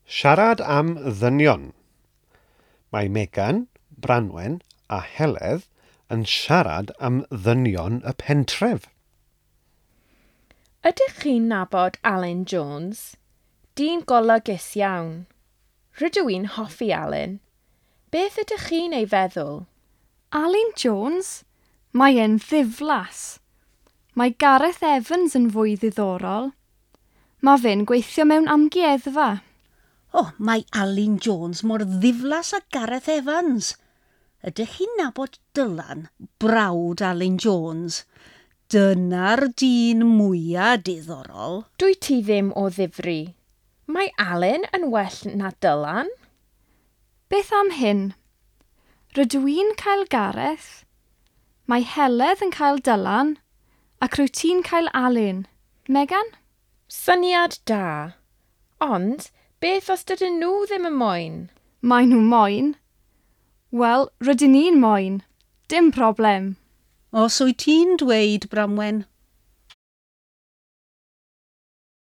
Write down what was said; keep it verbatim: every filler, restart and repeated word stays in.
Siarad am ddynion. Mae Megan, Branwen a Heledd yn siarad am ddynion y pentref. Ydych chi'n nabod Alun Jones? Dyn golygus iawn. Rydw i'n hoffi Alun. Beth ydych chi'n ei feddwl? Alun Jones? Mae e'n ddiflas. Mae Gareth Evans yn fwy ddiddorol. Mae fe'n gweithio mewn amgueddfa. O, oh, mae Alun Jones mor ddiflas â Gareth Evans. Ydych chi'n nabod Dylan, brawd Alun Jones? Dyna'r dyn mwyaf diddorol. Dwyt ti ddim o ddifri. Mae Alun yn well na Dylan. Beth am hyn? Rydw i'n cael Gareth, mae Heledd yn cael Dylan, ac rwyt ti'n cael Alun. Megan? Syniad da. Ond, beth os dydyn nhw ddim yn moyn? Mae nhw moyn. Wel, rydyn ni'n moyn. Dim problem. Os wyt ti'n dweud, Branwen.